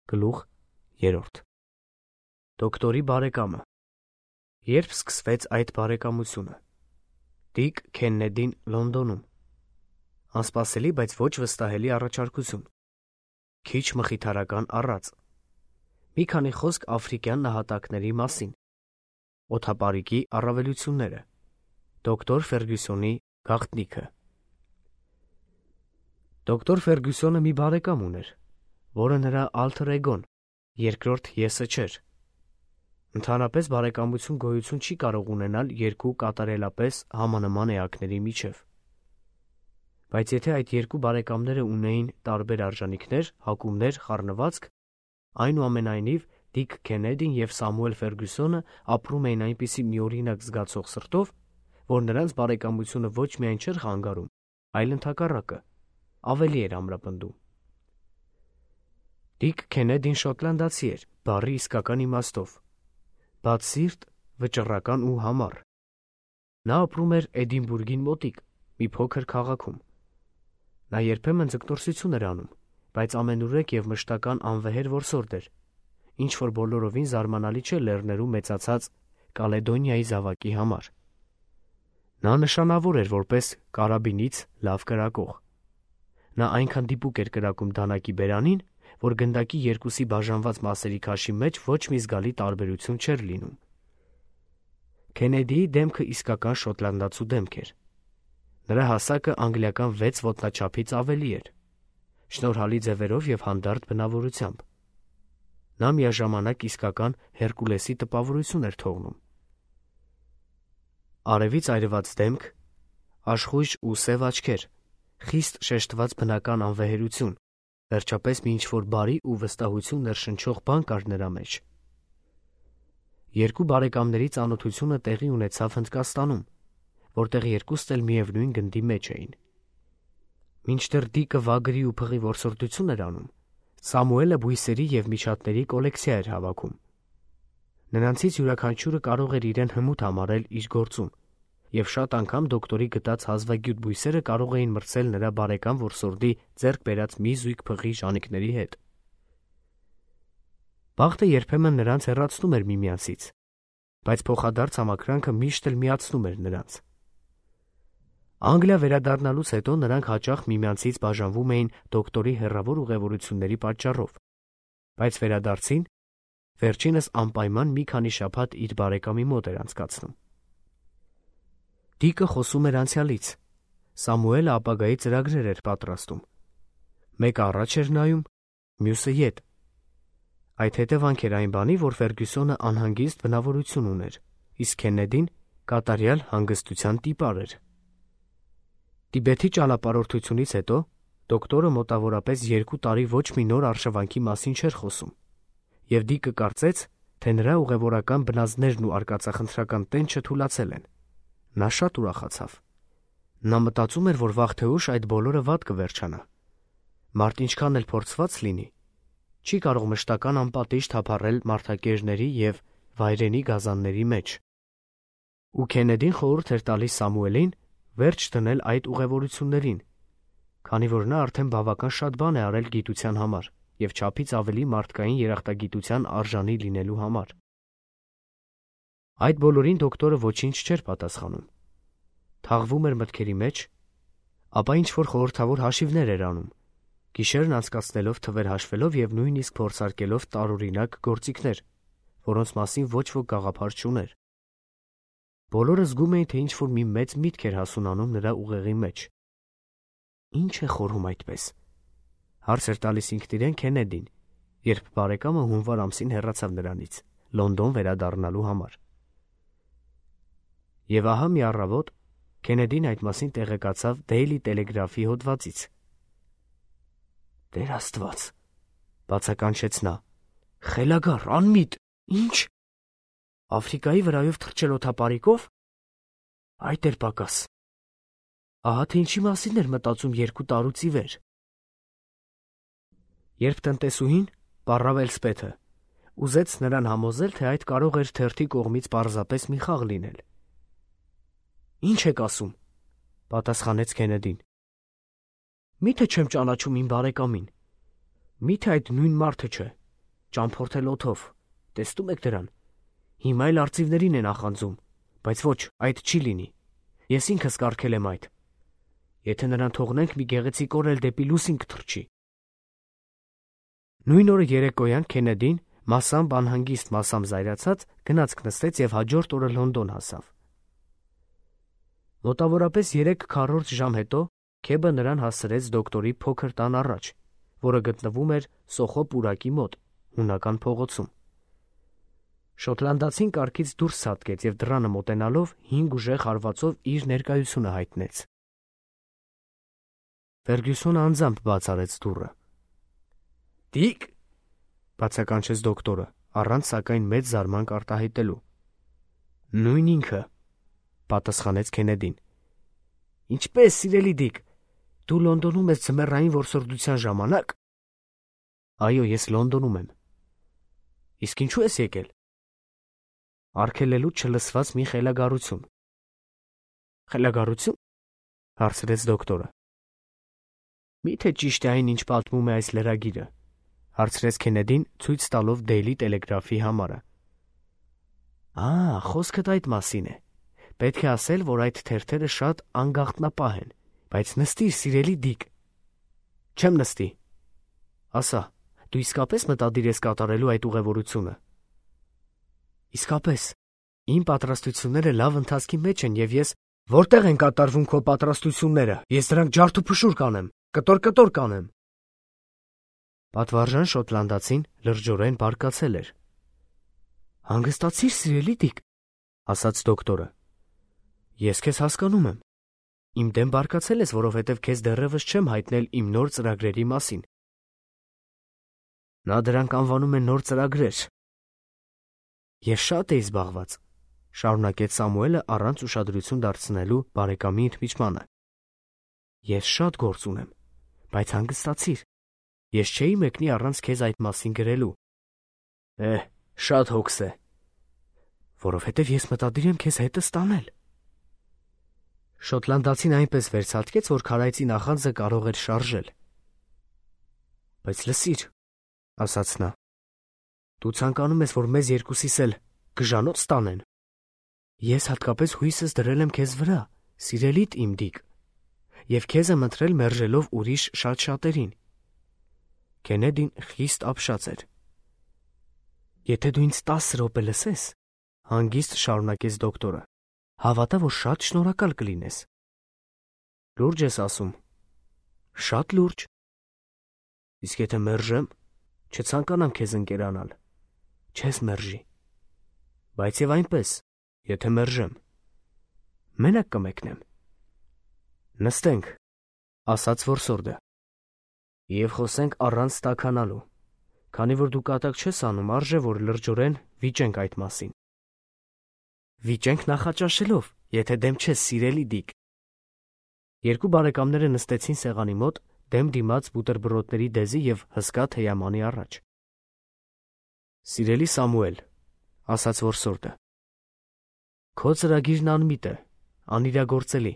Գլուխ 3 Դոկտորի բարեկամը։ Երբ սկսվեց այդ բարեկամությունը։ Դիկ Քեննեդին Լոնդոնում։ Անսպասելի, բայց ոչ վստահելի առաջարկություն։ Քիչ մխիթարական առած։ Մի քանի խոսք աֆրիկյան նահատակների մասին։ Օդապարիկի առավելությունները։ Դոկտոր Ֆերգյուսոնի գաղտնիքը։ Դոկտոր Ֆերգյուսոնը մի բարեկամ ուներ, որը նրա ալթեր էգոն, երկրորդ եսը չէր։ Ընդհանրապես բարեկամություն գոյություն չի կարող ունենալ երկու կատարելապես համանման էակների միջև։ Բայց եթե այդ երկու բարեկամները ունեին տարբեր արժանինքներ, հակումներ, խառնվածք, այնուամենայնիվ Դիկ Քեննեդին և Սամուել Ֆերգյուսոնը ապրում էին այնպիսի միօրինակ զգացող սրտով, որ նրանց բարեկամությունը ոչ միայն չէր խանգարում, այլ ընդհակառակը, ավելի էր ամրապնդում։ Դիկ Քեննեդին շոտլանդացի էր, բառի իսկական իմաստով, բաց սիրտ, վճռական ու համառ։ Նա ապրում էր Էդինբուրգին մոտիկ, մի փոքր քաղաքում։ Նա երբեմն ձգտորսություն էր անում, բայց ամենուրեք և մշտական անվեհեր որսորդ էր, ինչ որ բոլորովին զարմանալի չէ լեռներում մեծացած Կալեդոնիայի զավակի համար։ Նա նշանավոր էր որպես կարաբինից լավ կրակող։ Նա այնքան դիպուկ էր կրակում դանակի բերանին, որ գնդակի երկուսի բաժանված մասերի քաշի մեջ ոչ մի զգալի տարբերություն չէր լինում։ Քեննեդիի դեմքը իսկական շոտլանդացու դեմք էր։ Նրա հասակը անգլիական 6 ոտնաչափից ավելի էր, շնորհալի ձևերով և հանդարտ բնավորությամբ։ Նա միաժամանակ իսկական Հերկուլեսի տպավորություն էր թողնում։ Արևից այրված դեմք, աշխույժ ու սև աչքեր, խիստ շեշտված բնական անվեհերություն, վերջապես մի ինչ-որ բարի ու վստահություն ներշնչող բան կար նրա մեջ։ Երկու բարեկամների ծանոթությունը տեղի ունեցավ Հնդկաստանում, որտեղ երկուստ էլ միևնույն գնդի մեջ էին։ Մինչդեռ Դիկը վագրի ու փղի որսորդություն էր անում, Սամուելը բույսերի և միջատների կոլեկցիա էր հավաքում։ Նրանցից յուրաքանչյուրը կարող էր իրեն հմուտ համարել իր գործում, և շատ անգամ դոկտորի գտած հազվագյուտ բույսերը կարող էին մրցել նրա բարեկամ որսորդի ձեռք բերած մի զույգ փղի ժանիքների հետ։ Բախտը երբեմն նրանց հեռացնում էր միմյանցից, բայց փոխադարձ համակրանքը միշտ էլ միացնում էր նրանց։ Անգլիա վերադառնալուց հետո նրանք հաճախ միմյանցից բաժանվում էին դոկտորի հեռավոր ուղևորությունների պատճառով, բայց վերադարձին, վերջինս անպայման մի քանի շաբաթ իր բարեկամի մոտ էր անցկացնում։ Դիկը խոսում էր անցյալից, Սամուելը ապագայի ծրագրեր էր պատրաստում։ Մեկը առաջ էր նայում, մյուսը ետ։ Այդ հետևանք էր այն բանի, որ Ֆերգյուսոնը անհանգիստ բնավորություն ուներ, իսկ Քեննեդին կատարյալ հանգստության տիպար էր։ Տիբեթի ճանապարհորդությունից հետո դոկտորը մոտավորապես 2 տարի ոչ մի նոր արշավանքի մասին չէր խոսում, և Դիկը կարծեց, թե նրա ուղևորական բնազդներն ու արկածախնդրական տենչը թուլացել են։ Նա շատ ուրախացավ։ Նա մտածում էր, որ վաղ թե ուշ այդ բոլորը վատ կվերջանա։ Մարդ ինչքան էլ փորձված լինի, չի կարող մշտական անպատիժ թափառել մարդակերների և վայրենի գազանների մեջ։ Ու Քեննեդին խորհուրդ էր տալիս Սամուելին վերջ դնել այդ ուղևորություններին, քանի որ նա արդեն բավական շատ բան է արել գիտության համար և չափից ավելի մարդկային երախտագիտության արժանի լինելու համար։ Այդ բոլորին դոկտորը ոչինչ չէր պատասխանում։ Թաղվում էր մտքերի մեջ, ապա ինչ-որ խորհրդավոր հաշիվներ էր անում, գիշերն անցկացնելով թվեր հաշվելով և նույնիսկ փորձարկելով տարօրինակ գործիքներ, որոնց մասին ոչ ոք գաղափար չուներ։ Բոլորը զգում էին, թե ինչ-որ մի մեծ միտք էր հասունանում նրա ուղեղի մեջ։ Ի՞նչ է խորհում այդպես, հարց էր տալիս ինքն իրեն Քեննեդին, երբ բարեկամը հունվար ամսին հեռացավ նրանից, Լոնդոն վերադառնալու համար։ Եվ ահա մի առավոտ Քեննեդին այդ մասին տեղեկացավ Daily Telegraph-ի հոդվածից։ «Տեր Աստված», բացականչեց նա, «խելագար, անմիտ, ի՞նչ, Աֆրիկայի վրայով թռչել օդապարիկով, այդ էր պակաս, ահա թե ինչի մասին էր մտածում 2 տարուց ի վեր»։ Երբ տնտեսուհին, պառավ Էլսպեթը, ուզեց նրան համոզել, թե այդ կարող էր թերթի կողմից պարզապես մի խաղ լինել։ «Ի՞նչ եք ասում», պատասխանեց Քեննեդին։ «Մի՞թե չեմ ճանաչում իմ բարեկամին, մի՞թե այդ նույն մարդը չէ, ճամփորդել օդով, տեսնում եք դրան, հիմա էլ արծիվներին է նախանձում, բայց ոչ, այդ չի լինի, ես ինքս կարգել եմ այդ, եթե նրան թողնենք մի գեղեցիկ օր էլ դեպի լուսին կթռչի։ Նույն օրը երեկոյան Քենեդին մասամբ անհանգիստ, մասամբ զայրացած գնացք նստեց և հաջորդ օրը Լոնդոն հասավ։ Մոտավորապես 3/4 ժամ հետո Քեբը նրան հասցրեց դոկտորի փոքր տան առաջ, որը գտնվում էր Սոխո պուրակի մոտ, հունական փողոցում։ Շոտլանդացին կառքից դուրս ցատկեց և դռանը մոտենալով 5 ուժեղ հարվածով իր ներկայությունը հայտնեց։ Ֆերգյուսոնը անձամբ բաց արեց դուռը։ «Դիկ», բացականչեց դոկտորը, առանց սակայն մեծ զարմանք արտահայտելու։ «Նույն ինքը», պատասխանեց Քենեդին։ «Ինչպե՞ս, սիրելի Դիկ, դու Լոնդոնում ես ձմեռային որսորդության ժամանակ»։ «Այո, ես Լոնդոնում եմ»։ «Իսկ ինչու ես եկել»։ «Արգելելու չլսված մի խելագարություն»։ «Խելագարություն»։ հարցրեց դոկտորը։ «Մի՞թե ճիշտ է այն, ինչ պատմում է այս լրագիրը», հարցրեց Քենեդին, ցույց տալով Daily Telegraph-ի համարը։ Խոսքդ այդ մասին է։ Պետք է ասել, որ այդ թերթերը շատ անգաղտնապահ են, բայց նստիր, սիրելի Դիկ։ Չեմ նստի։ Ասա, դու իսկապես մտադիր ես կատարելու այդ ուղևորությունը։ Իսկապես, իմ պատրաստությունները լավ ընթացքի մեջ են և ես… Որտեղ են կատարվում քո պատրաստությունները, ես դրանք ջարդուփշուր կանեմ, կտոր կանեմ։ Պատվարժան շոտլանդացին լրջորեն բարկացել էր։ Հանգստացիր, սիրելի Դիկ, ասաց դոկտորը։ Ես քեզ հասկանում եմ։ Իմ դեմ բարկացել ես, որովհետև քեզ դեռևս չեմ հայտնել իմ նոր ծրագրերի մասին։ Նա դրանք անվանում է նոր ծրագրեր։ Ես շատ էի զբաղված, շարունակեց Սամուելը առանց ուշադրություն դարձնելու բարեկամի ընդմիջմանը։ Ես շատ գործ ունեմ, բայց հանգստացիր։ Ես չէի մեկնի առանց քեզ այդ մասին գրելու։ Շատ հոգս է։ Որովհետև ես մտադիր եմ քեզ հետս տանել։ Շոտլանդացին այնպես վերցատկեց, որ քարայծի նախանձը կարող էր շարժել։ Բայց լսիր, ասաց նա, դու ցանկանում ես, որ մեզ երկուսիս էլ գժանոց տանեն։ Ես հատկապես հույսս դրել եմ քեզ վրա, սիրելիդ իմ Դիկ, և քեզ եմ ընտրել մերժելով ուրիշ շատ-շատերին։ Քենեդին խիստ ապշած էր։ Եթե դու ինձ 10 րոպե լսես, հանգիստ շարունակեց դոկտորը, հավատա, որ շատ շնորհակալ կլինես։ Լուրջ ես ասում։ Շատ լուրջ։ Իսկ եթե մերժեմ, չցանկանամ քեզ ընկերանալ։ Չես մերժի։ Բայց եւ այնպես, եթե մերժեմ, մենակ կմեկնեմ։ Նստենք, ասաց որսորդը, եւ խոսենք առանց տաքանալու, քանի որ դու կատակ չես անում, արժե որ լրջորեն վիճենք այդ մասին։ Վիճենք նախաճաշելով, եթե դեմ չես, սիրելի Դիկ։ Երկու բարեկամները նստեցին սեղանի մոտ, դեմ դիմաց բուտերբրոդների դեզի եւ հսկա թեյամանի առաջ։ Սիրելի Սամուել, ասաց որսորդը, քո ծրագիրն անմիտ է, անիրագործելի,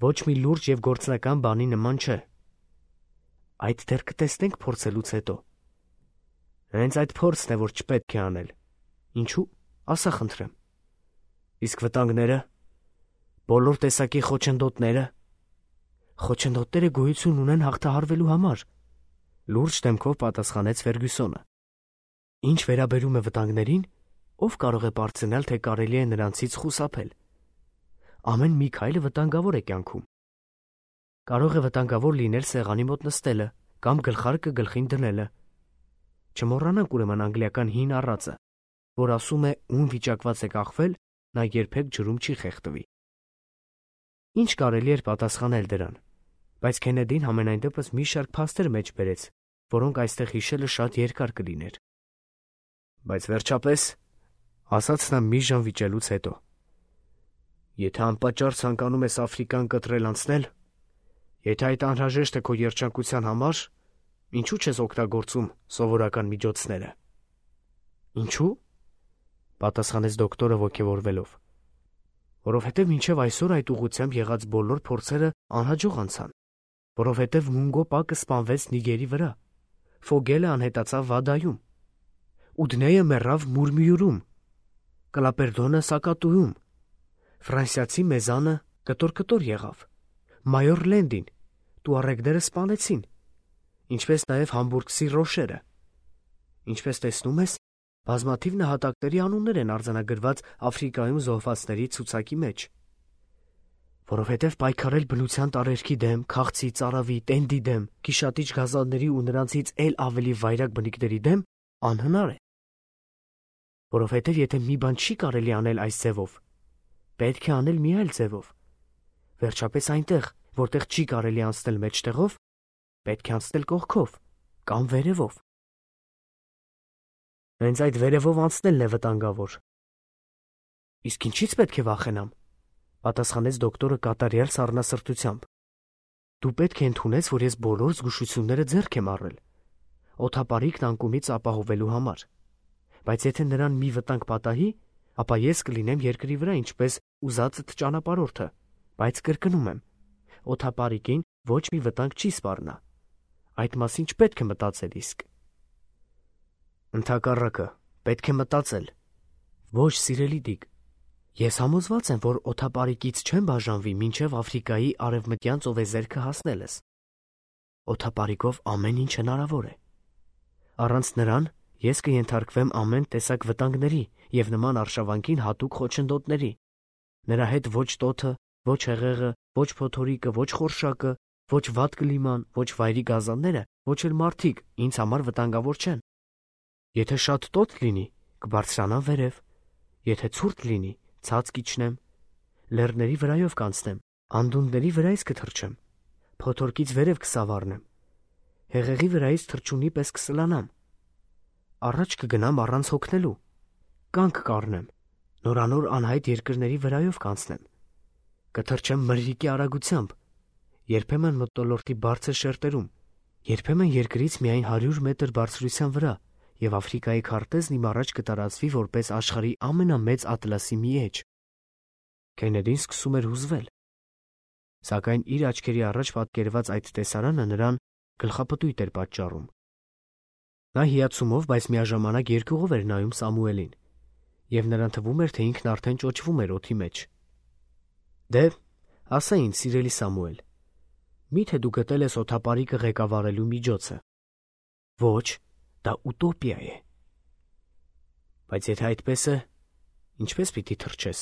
ոչ մի լուրջ եւ գործնական բանի նման չէ։ Այդ դեռ կտեսնենք փորձելուց հետո։ Հենց այդ փորձն է, որ չպետք է անել։ Ինչու՞, ասա խնդրեմ։ Իսկ վտանգները, բոլոր տեսակի խոչընդոտները… Խոչընդոտները գոյություն ունեն հաղթահարվելու համար, լուրջ դեմքով պատասխանեց Ֆերգյուսոնը։ Ինչ վերաբերում է վտանգներին, ով կարող է պարծենալ, թե կարելի է նրանցից խուսափել։ Ամեն մի քայլը վտանգավոր է կյանքում։ Կարող է վտանգավոր լինել սեղանի մոտ նստելը կամ գլխարկը գլխին դնելը։ Չմոռանանք ուրեմն անգլիական հին առածը, որ ասում է, ում վիճակված է կախվել, նա երբեք ջրում չի խեղդվի։ Ինչ կարելի էր պատասխանել դրան, բայց Քենեդին համենայն դեպս մի շարք փաստեր մեջ բերեց, որոնք այստեղ հիշելը շատ երկար կլիներ։ Բայց վերջապես, ասաց նա մի ժամ վիճելուց հետո, եթե անպատճառ ցանկանում ես Աֆրիկան կտրել անցնել, եթե այդ անհրաժեշտ է քո երջանկության համար, ինչու չես օգտագործում սովորական միջոցները։ Ինչու՞, պատասխանեց դոկտորը ոգևորվելով։ Որովհետև մինչև այսօր այդ ուղղությամբ եղած բոլոր փորձերը անհաջող անցան, որովհետև Մունգո Պակը սպանվեց Նիգերի վրա, Ֆոգելը անհետացավ Վադայում, Ուդնեյը մեռավ Մուրմիուրում, Կլապերդոնը Սակատուում, Ֆրանսիացի Մեզանը կտոր եղավ, Մայոր Լենդին տուարեգները սպանեցին, ինչպես նաև Համբուրգսի Ռոշերը։ Ինչպես տեսնում ես, բազմաթիվ նահատակների անուններ են արձանագրված Աֆրիկայում զոհվածների ցուցակի մեջ։ Որովհետև պայքարել բնության տարերքի դեմ, քաղցի, ծարավի, տենդի դեմ, գիշատիչ գազանների ու նրանցից էլ ավելի վայրագ բնիկների դեմ անհնար է։ Որովհետև եթե մի բան չի կարելի անել այս ձևով, պետք է անել մի այլ ձևով։ Վերջապես այնտեղ, որտեղ չի կարելի անցնել մեջտեղով, պետք է անցնել կողքով կամ վերևով։ Հենց այդ վերևով անցնելն է վտանգավոր։ Իսկ ինչից պետք է վախենամ, պատասխանեց դոկտորը կատարյալ սառնասրտությամբ։ Դու պետք է ընդունես, որ ես բոլոր զգուշությունները ձեռք եմ առել, օդապարիկն անկումից ապահովելու համար։ Բայց եթե նրան մի վտանգ պատահի, ապա ես կլինեմ երկրի վրա ինչպես ուզածդ ճանապարհորդը, բայց կրկնում եմ, օդապարիկին ոչ մի վտանգ չի սպառնա։ Այդ մասին չպետք է մտածել իսկ։ Ընդհակառակը, պետք է մտածել։ Ոչ, սիրելի Դիկ, ես համոզված եմ, որ օդապարիկից չեմ բաժանվի մինչև Աֆրիկայի արևմտյան ծովեզերքը հասնելս։ Օդապարիկով ամեն ինչ հնարավոր է։ Առանց նրան ես կենթարկվեմ ամեն տեսակ վտանգների և նման արշավանքին հատուկ խոչընդոտների։ Նրա հետ ոչ տոթը, ոչ հեղեղը, ոչ փոթորիկը, ոչ խորշակը, ոչ վատ կլիման, ոչ վայրի գազանները, ոչ էլ մարդիկ ինձ համար վտանգավոր չեն։ Եթե շատ տոթ լինի, կբարձրանամ վերև, եթե ցուրտ լինի, ցած կիջնեմ, լեռների վրայով կանցնեմ, անդունդների վրայից կթռչեմ, փոթորկից վերև կսավառնեմ, հեղեղի վրայից թռչունի պես կսլանամ, առաջ կգնամ առանց հոգնելու, կանգ կառնեմ, նորանոր անհայտ երկրների վրայով կանցնեմ, կթռչեմ մրրիկի արագությամբ, երբեմն մթնոլորտի բարձր շերտերում, երբեմն երկրից միայն 100 մետր բարձրության վրա, և Աֆրիկայի քարտեզն իմ առաջ կտարածվի որպես աշխարհի ամենամեծ ատլասի մի էջ։ Քենեդին սկսում էր հուզվել, սակայն իր աչքերի առաջ պատկերված այդ տեսարանը նրան գլխապտույտ էր պատճառում։ Նա հիացումով, բայց միաժամանակ երկյուղով էր նայում Սամուելին, և նրան թվում էր, թե ինքն արդեն ճոճվում էր օդի մեջ։ Դե, ասա ինձ, սիրելի Սամուել, միթե դու գտել ես օդապարիկը ղեկավարելու միջոցը։ Ոչ, դա ուտոպիա է։ Բայց եթե այդպես է, ինչպես պիտի թռչես։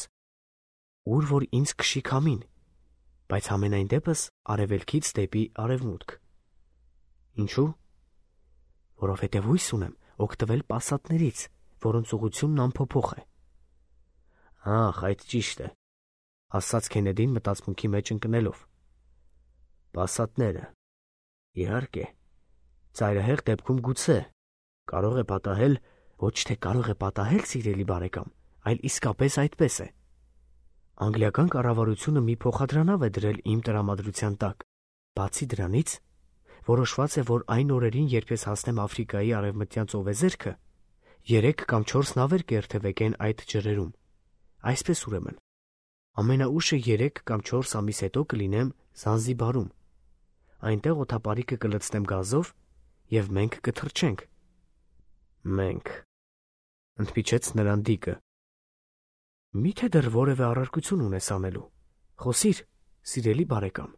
Ուր որ ինձ քշի քամին, բայց ամենայն դեպս արևելքից դեպի արևմուտք։ Ինչու՞։ Որովհետև հույս ունեմ օգտվել պասատներից, որոնց ուղղությունն անփոփոխ է։ Ահ, այդ ճիշտ է, ասաց Քենեդին մտածմունքի մեջ ընկնելով։ Պասատները, իհարկե, ծայրահեղ դեպքում գուցե, կարող է պատահել, ոչ թե կարող է պատահել, սիրելի բարեկամ, այլ իսկապես այդպես է։ Անգլիական կառավարությունը մի փոխադրանավ է դրել իմ տրամադրության տակ։ Բացի դրանից, որոշված է, որ այն օրերին, երբ ես հասնեմ Աֆրիկայի արևմտյան ծովեզերքը, 3 կամ 4 նավեր կերթևեկեն այդ ջրերում։ Այսպես ուրեմն, ամենաուշը 3 կամ 4 ամիս հետո կլինեմ Զանզիբարում։ Այնտեղ օդապարիկը կլցնեմ գազով, և մենք կթռչենք։ Մենք, ընդմիջեց նրան Դիկը։ Միթե դեռ որևէ առարկություն ունես անելու։ Խոսիր, սիրելի բարեկամ։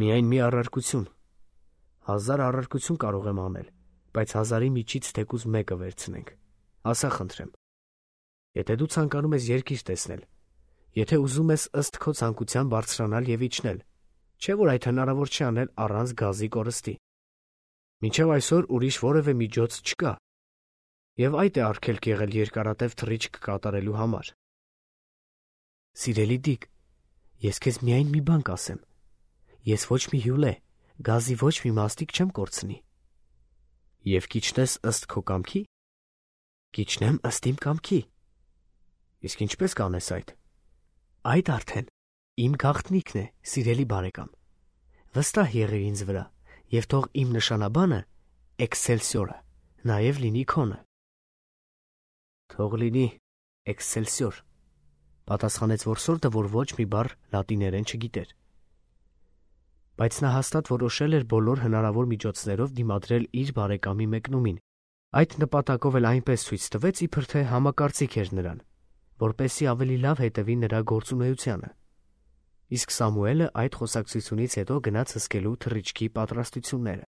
Միայն մի առարկություն։ 1000 առարկություն կարող եմ անել, բայց 1000-ի միջից թեկուզ մեկը վերցնենք։ Ասա խնդրեմ։ Եթե դու ցանկանում ես երկիր տեսնել, եթե ուզում ես ըստ քո ցանկության բարձրանալ և իջնել, չէ՞ որ այդ հնարավոր չի անել առանց գազի կորստի։ Մինչև այսօր ուրիշ որևէ միջոց չկա, և այդ է արգելք եղել երկարատև թռիչք կատարելու համար։ Սիրելի Դիկ, ես քեզ միայն մի բան կասեմ. ես ոչ մի հյուլե, գազի ոչ մի մաստիկ չեմ կորցնի։ Եվ կիջնես ըստ քո կամքի։ Կիջնեմ ըստ իմ կամքի։ Իսկ ինչպես կանես այդ։ Այդ արդեն իմ գաղտնիքն է, սիրելի բարեկամ։ Վստահ եղիր ինձ վրա, և թող իմ նշանաբանը Էքսելսիորը նաև լինի քոնը։ Թող լինի Էքսելսիոր, պատասխանեց որսորդը, որ ոչ մի բառ լատիներեն չգիտեր։ Բայց նա հաստատ որոշել էր բոլոր հնարավոր միջոցներով դիմադրել իր բարեկամի մեկնումին Այդ նպատակով էլ այնպես ցույց տվեց, իբր թե համակարծիք էր նրան, որպեսզի ավելի լավ հետևի նրա գործունեությանը։ Իսկ Սամուելը այդ խոսակցությունից հետո գնաց հսկելու թռիչքի պատրաստությունները։